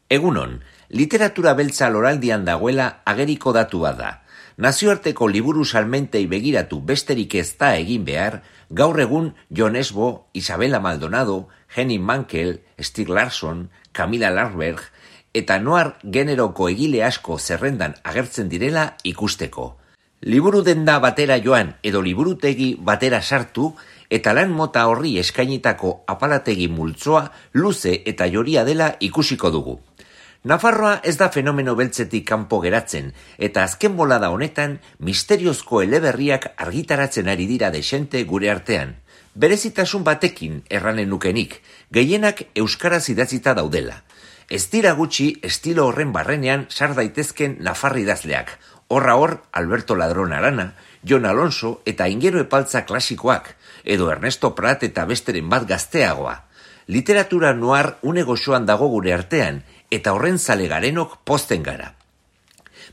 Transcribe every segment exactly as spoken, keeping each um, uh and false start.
Egunon, literatura beltza loraldian dagoela ageriko datua da. Nazioarteko liburu salmentei begiratu besterik ez da egin behar, gaur egun Jon Esbo, Isabella Maldonado, Henning Mankell, Stieg Larsson, Camilla Larberg eta noir generoko egile asko zerrendan agertzen direla ikusteko. Liburu denda batera joan edo liburutegi batera sartu eta lan mota horri eskainitako apalategi multzoa luze eta joria dela ikusiko dugu. Nafarroa ez da fenomeno beltzetik kanpo geratzen eta azken bolada honetan misteriozko eleberriak argitaratzen ari dira desente gure artean. Berezitasun batekin erranen nukenik, gehienak euskaraz idatzita daudela. Ez dira gutxi estilo horren barrenean sar daitezken nafar idazleak, horra hor Alberto Ladron Arana, Jon Alonso eta Ingero Epaltza klasikoak, edo Ernesto Prat eta besteren bat gazteagoa. Literatura noir une goxoan dago gure artean, eta horren zale garenok pozten gara.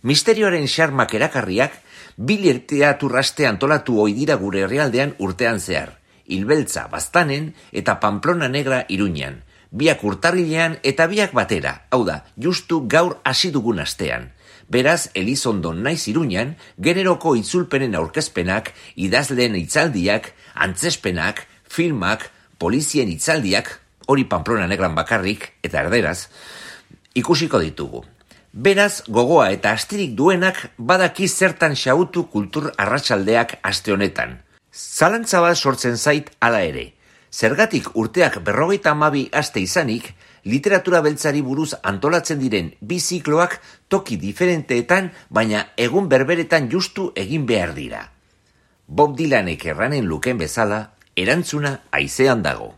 Misterioaren xarmak erakarriak, bi literaturraste antolatu ohi dira gure herrialdean urtean zehar, Hilbeltza Baztanen eta Pamplona Negra Iruñan, biak urtarrilean eta biak batera, hau da, justu gaur hasi dugun astean. Beraz, Elizondon naiz Iruñan, generoko itzulpenen aurkezpenak, idazleen hitzaldiak, antzespenak, filmak, polizien hitzaldiak, hori Pamplona Negran bakarrik, eta erderaz, ikusiko ditugu. Beraz, gogoa eta astirik duenak badaki zertan xautu kultur arratsaldeak aste honetan. Zalantza bat sortzen zait hala ere. Zergatik urteak berrogeita hamabi aste izanik, literatura beltzari buruz antolatzen diren bi zikloak toki diferenteetan, baina egun berberetan justu egin behar dira. Bob Dylanek erranen luken bezala, erantzuna haizean dago.